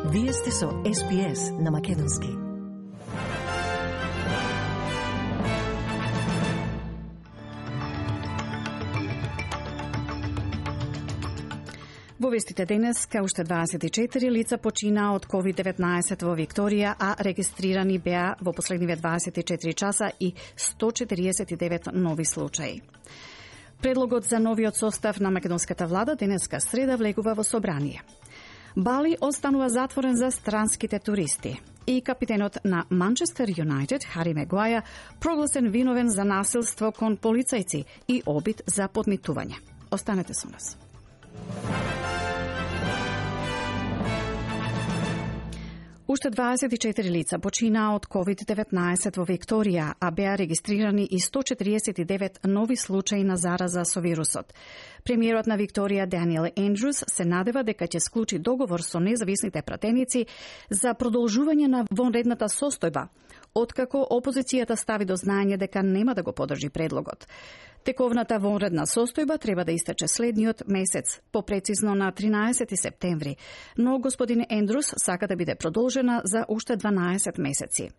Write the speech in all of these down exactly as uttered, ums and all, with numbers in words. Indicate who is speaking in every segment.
Speaker 1: Вие сте со Ес Би Ес на Македонски. Во вестите денес, кај уште дваесет и четири лица почина од ковид деветнаесет во Викторија, а регистрирани беа во последниве дваесет и четири часа и сто четириесет и девет нови случаи. Предлогот за новиот состав на македонската влада денеска среда влегува во собрание. Бали останува затворен за странските туристи. И капитенот на Манчестер Юнайтед, Хари Мегуаја, прогласен виновен за насилство кон полицајци и обид за подмитување. Останете со нас. Уште дваесет и четири лица почина од ковид деветнаесет во Викторија, а беа регистрирани и сто четириесет и девет нови случаи на зараза со вирусот. Премиерот на Викторија Даниел Ендрюс се надева дека ќе склучи договор со независните пратеници за продолжување на вонредната состојба, откако опозицијата стави до знаење дека нема да го подржи предлогот. Тековната вонредна состојба треба да истече следниот месец, попрецизно на тринаесети септември, но господин Ендрюс сака да биде продолжена за уште дванаесет месеци.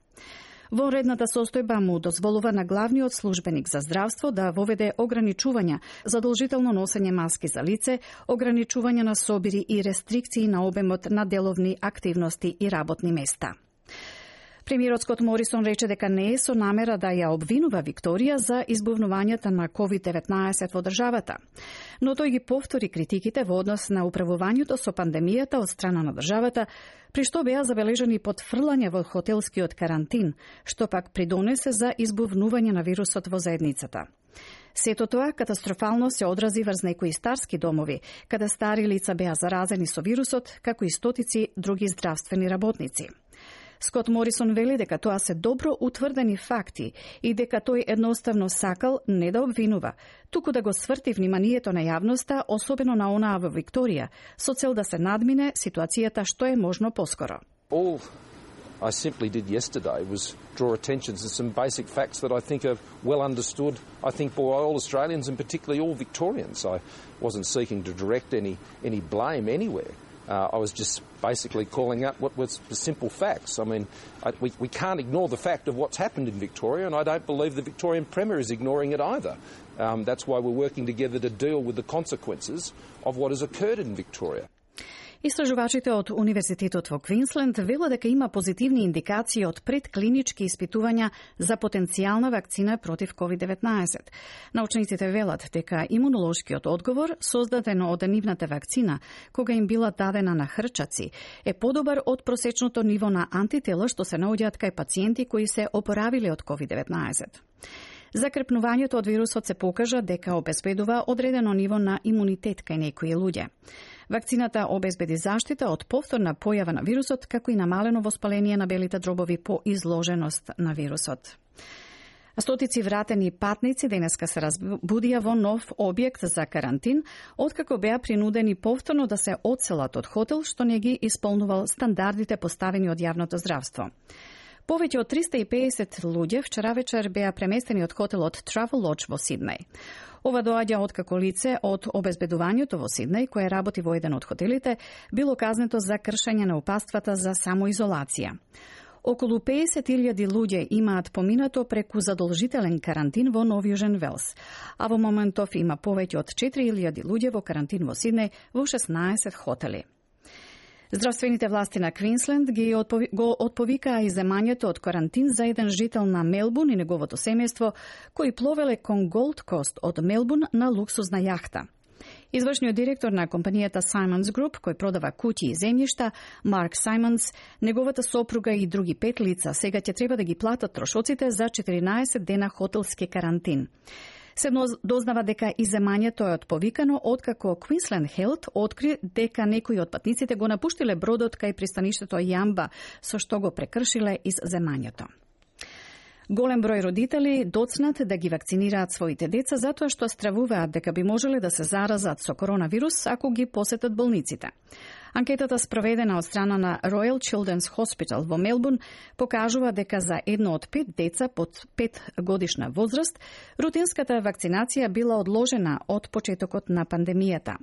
Speaker 1: Вонредната состојба му дозволува на главниот службеник за здравство да воведе ограничувања, задолжително носење маски за лице, ограничување на собири и рестрикции на обемот на деловни активности и работни места. Премиерот Скот Морисон рече дека не е со намера да ја обвинува Викторија за избувнувањата на ковид деветнаесет во државата, но тој ги повтори критиките во однос на управувањето со пандемијата од страна на државата, при што беа забележани потфрлање во хотелскиот карантин, што пак придонесе за избувнување на вирусот во заедницата. Сето тоа катастрофално се одрази врз некои старски домови, каде стари лица беа заразени со вирусот, како и стотици други здравствени работници. Скот Морисон вели дека тоа се добро утврдени факти и дека тој едноставно сакал не да обвинува, туку да го сврти вниманието на јавноста, особено на онаа во Викторија, со цел да се надмине ситуацијата што е можно поскоро.
Speaker 2: All I simply did yesterday was draw attention to some basic facts that I think are well understood, I think, by all Australians and particularly all Victorians. I wasn't seeking to direct any any blame anywhere. Uh, I was just basically calling out what was the simple facts. I mean, I, we, we can't ignore the fact of what's happened in Victoria, and I don't believe the Victorian Premier is ignoring it either. Um, that's why we're working together to deal with the consequences of what has occurred in Victoria.
Speaker 1: Истражувачите од Универзитетот во Квинсленд велат дека има позитивни индикации од предклинички испитувања за потенцијална вакцина против ковид деветнаесет. Научниците велат дека имунолошкиот одговор, создаден од нивната вакцина, кога им била дадена на хрчаци, е подобар од просечното ниво на антитела што се наоѓаат кај пациенти кои се опоравиле од ковид деветнаесет. Закрепнувањето од вирусот се покажа дека обезбедува одредено ниво на имунитет кај некои луѓе. Вакцината обезбеди заштита од повторна појава на вирусот, како и намалено воспаление на белите дробови по изложеност на вирусот. Стотици вратени патници денеска се разбудија во нов објект за карантин, откако беа принудени повторно да се одселат од хотел што не ги исполнувал стандардите поставени од јавното здравство. Повеќе од триста и педесет луѓе вчера вечер беа преместени од хотелот Travelodge во Сиднеј. Ова доаѓа откако лице од обезбедувањето во Сиднеј, кое работи во еден од хотелите, било казнето за кршење на упатствата за самоизолација. Околу педесет илјади луѓе имаат поминато преку задолжителен карантин во Нов Јужен Велс, а во моментов има повеќе од четири илјади луѓе во карантин во Сиднеј во шеснаесет хотели. Здравствените власти на Квинсленд ги отпови, го отповикаа иземањето од карантин за еден жител на Мелбун и неговото семејство, кои пловеле кон Голд Кост од Мелбун на луксузна јахта. Извршниот директор на компанијата Simons Group, кој продава куќи и земјишта, Марк Саймонс, неговата сопруга и други пет лица сега ќе треба да ги платат трошоците за четиринаесет дена хотелски карантин. Се дознава дека иземањето е отповикано откако Queensland Health откри дека некои од патниците го напуштиле бродот кај пристаништето Јамба, со што го прекршиле иземањето. Голем број родители доцнат да ги вакцинираат своите деца затоа што стравуваат дека би можеле да се заразат со коронавирус ако ги посетат болниците. Анкетата спроведена од страна на Royal Children's Hospital во Мелбурн покажува дека за едно од пет деца под пет годишна возраст рутинската вакцинација била одложена од почетокот на пандемијата.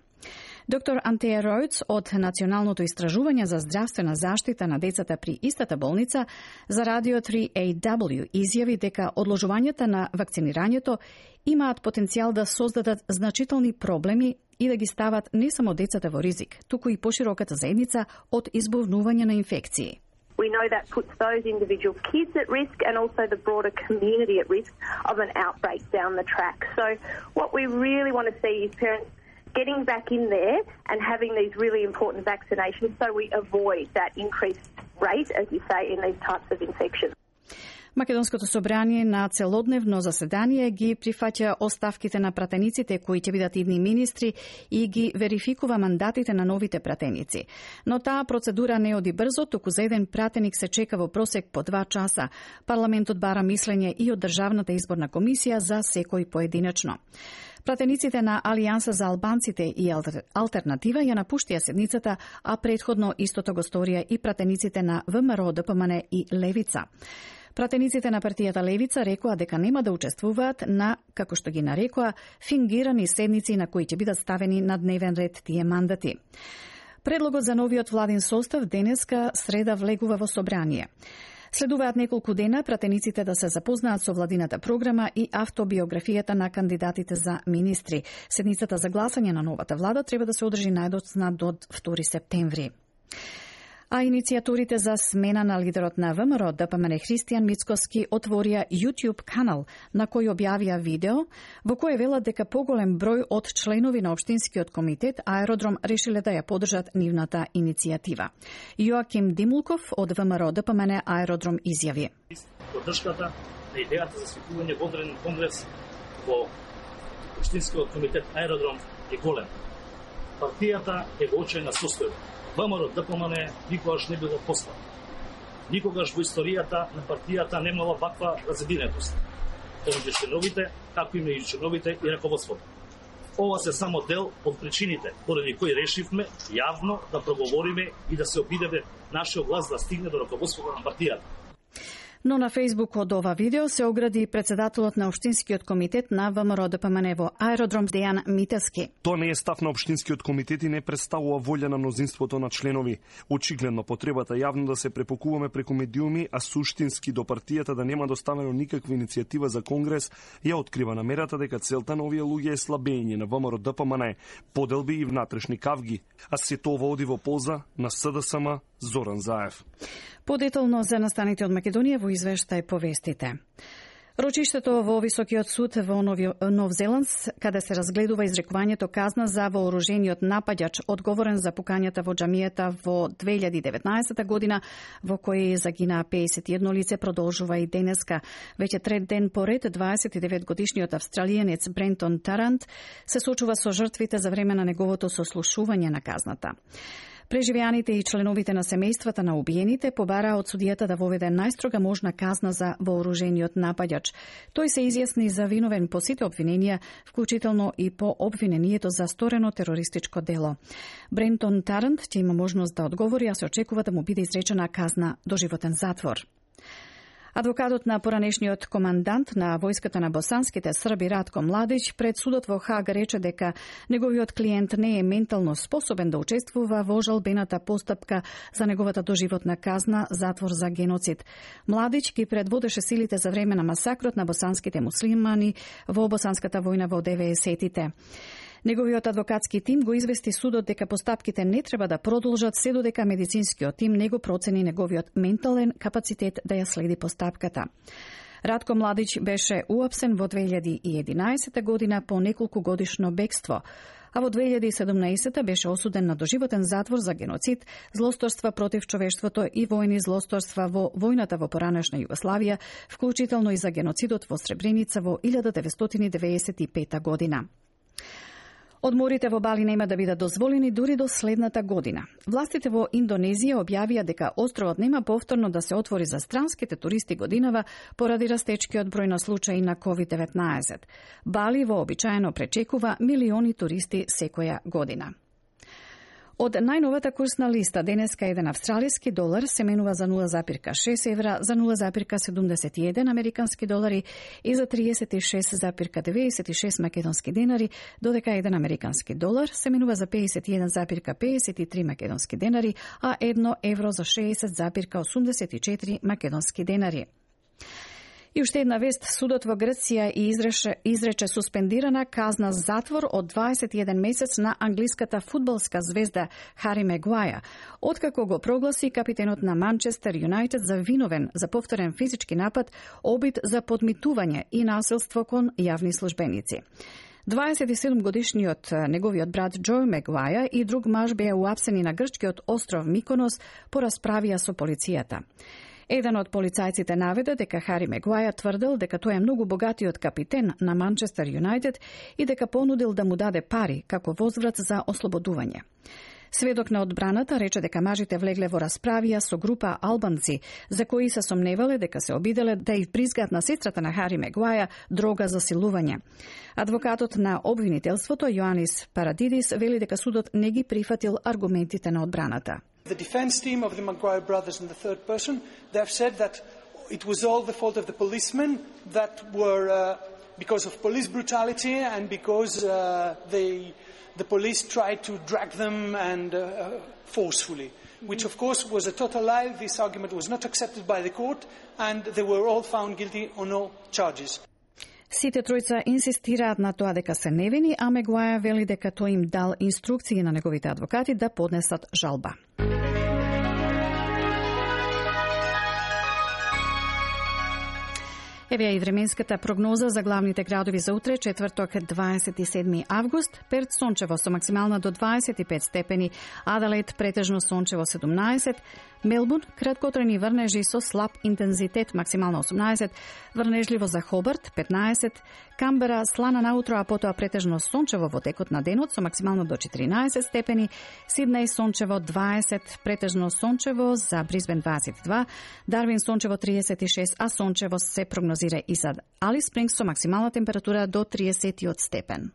Speaker 1: Доктор Антеја Ројц од Националното истражување за здравствена заштита на децата при истата болница за Радио три А W изјави дека одложувањата на вакцинирањето имаат потенцијал да создадат значителни проблеми и да ги стават не само децата во ризик, туку и пошироката заедница од избувнување на инфекции.
Speaker 3: We know that puts those individual kids at risk and also the broader community at risk of an outbreak down the track. So what we really want to see is parents getting back in there and having these really important vaccinations so we avoid that increased rate, as you say, in these types of infections.
Speaker 1: Македонското собрание на целодневно заседание ги прифаќа оставките на пратениците кои ќе бидат идни министри и ги верификува мандатите на новите пратеници. Но таа процедура не оди брзо, туку за еден пратеник се чека во просек по два часа. Парламентот бара мислење и од Државната изборна комисија за секој поединечно. Пратениците на Алијанса за албанците и Алтернатива ја напуштија седницата, а предходно истото го сторија и пратениците на ВМРО, ДПМН и Левица. Пратениците на партијата Левица рекоа дека нема да учествуваат на, како што ги нарекоа, фингирани седници на кои ќе бидат ставени на дневен ред тие мандати. Предлогот за новиот владин состав денеска среда влегува во собрание. Следуваат неколку дена пратениците да се запознаат со владината програма и автобиографијата на кандидатите за министри. Седницата за гласање на новата влада треба да се одржи најдоцна до втори септември. А иницијаторите за смена на лидерот на ВМРО, ДПМН Христијан Мицкоски, отворија YouTube канал на кој објавија видео во кое велат дека поголем број од членови на Општинскиот комитет Аеродром решиле да ја поддржат нивната иницијатива. Јоаким Димулков од ВМРО, ДПМН Аеродром изјави:
Speaker 4: Поддршката на идејата за свикување водреден конгрес во Општинскиот комитет Аеродром е голем. Партијата е во очајна состојба. ВМРО, ДПМН никогаш не било послан. Никогаш во историјата на партијата немала ваква разединетост помеѓу членовите, како и меѓу членовите и раководството. Ова се само дел од причините поради кои решивме јавно да проговориме и да се обидеме нашиот глас да стигне до раководството на партијата.
Speaker 1: Но на Фејсбук од ова видео се огради председателот на Општинскиот комитет на ВМРО ДПМН во Аеродром Дејан Митевски.
Speaker 5: Тоа не е став на Општинскиот комитет и не представува волја на мнозинството на членови. Очигледно потребата јавно да се препокуваме преку медиуми, а суштински до партијата да нема доставено никаква иницијатива за конгрес, ја открива намерата дека целта на овие луѓе е слабење на ВМРО ДПМН, поделби и внатрешни кавги, а се тоа оди во полза на СДСМ Зоран Заев.
Speaker 1: Подетално за настаните од Македонија во извештај повестите. Рочиштето во Високиот суд во Нов Зеланд, каде се разгледува изрекувањето казна за вооружениот напаѓач одговорен за пукањата во џамијата во две илјади и деветнаесета година, во кој загинаа пеесет и едно лице, продолжува и денеска. Веќе трет ден поред, дваесет и девет годишниот австралијанец Брентон Тарант се сочува со жртвите за време на неговото сослушување на казната. Преживеаните и членовите на семејствата на убиените побараа од судијата да воведе најстрога можна казна за вооружениот напаѓач. Тој се изјасни за виновен по сите обвиненија, вклучително и по обвинението за сторено терористичко дело. Брентон Тарант ќе има можност да одговори, а се очекува да му биде изречена казна доживотен затвор. Адвокатот на поранешниот командант на војската на босанските срби Ратко Младич пред судот во Хаг рече дека неговиот клиент не е ментално способен да учествува во жалбената постапка за неговата доживотна казна затвор за геноцид. Младич ги предводеше силите за време на масакрот на босанските муслимани во босанската војна во деветдесетите. Неговиот адвокатски тим го извести судот дека постапките не треба да продолжат се додека медицинскиот тим не го процени неговиот ментален капацитет да ја следи постапката. Ратко Младич беше уапсен во две илјади и единаесета година по неколку годишно бегство, а во две илјади и седумнаесета беше осуден на доживотен затвор за геноцид, злосторства против човештвото и војни злосторства во војната во поранешна Југославија, вклучително и за геноцидот во Сребреница во илјада деветстотини деветдесет и пета година. Одморите во Бали нема да бидат дозволени дури до следната година. Властите во Индонезија објавија дека островот нема повторно да се отвори за странските туристи годинава поради растечкиот број на случаи на ковид деветнаесет. Бали вообичаено пречекува милиони туристи секоја година. Од најновата курсна листа, денеска еден австралиски долар се менува за нула запирка шест евра, за нула запирка седумдесет и еден американски долари и за триесет и шест запирка деветдесет и шест македонски денари, додека еден американски долар се менува за педесет и еден запирка педесет и три македонски денари, а едно евро за шеесет запирка осумдесет и четири македонски денари. И уште една вест, судот во Грција изрече, изрече суспендирана казна затвор од дваесет и еден месец на англиската фудбалска звезда Хари Мегуаја, откако го прогласи капитенот на Манчестер Юнајтед за виновен за повторен физички напад, обид за подмитување и насилство кон јавни службеници. дваесет и седум годишниот неговиот брат Џо Мегуаја и друг маж беа уапсени на грчкиот остров Миконос по расправија со полицијата. Еден од полицајците наведе дека Хари Мегуаја тврдел дека тој е многу богатиот капитен на Манчестер Юнајтед и дека понудил да му даде пари како возврат за ослободување. Сведок на одбраната рече дека мажите влегле во расправија со група албанци, за кои се сомневале дека се обиделе да ја призгаат на сестрата на Хари Мегуаја дрога за силување. Адвокатот на обвинителството Јоанис Парадидис вели дека судот не ги прифатил аргументите на одбраната.
Speaker 6: The defense team of the Maguire brothers in the third person, they have said that it was all the fault of the policemen that were uh, because of police brutality and because uh, they, the police tried to drag them and uh, forcefully, which of course was a total lie. This argument was not accepted by the court and they were all found guilty on all charges.
Speaker 1: Сите тројца инсистираат на тоа дека се невини, а Мегуаја вели дека тој им дал инструкции на неговите адвокати да поднесат жалба. Еве и временската прогноза за главните градови за утре, четврток, дваесет и седми август. Перт сончево со максимална до дваесет и пет степени, Аделаид претежно сончево седумнаесет, Мелбурн краткотрени врнежи со слаб интензитет, максимално осумнаесет, врнежливо за Хобарт петнаесет, Камбера слана наутро, а потоа претежно сончево во текот на денот со максимално до четиринаесет степени, Сиднеј сончево дваесет, претежно сончево за Брисбен дваесет и два, Дарвин сончево триесет и шест, а сончево се прогнозира и за Алис Спрингс со максимална температура до триесет степен.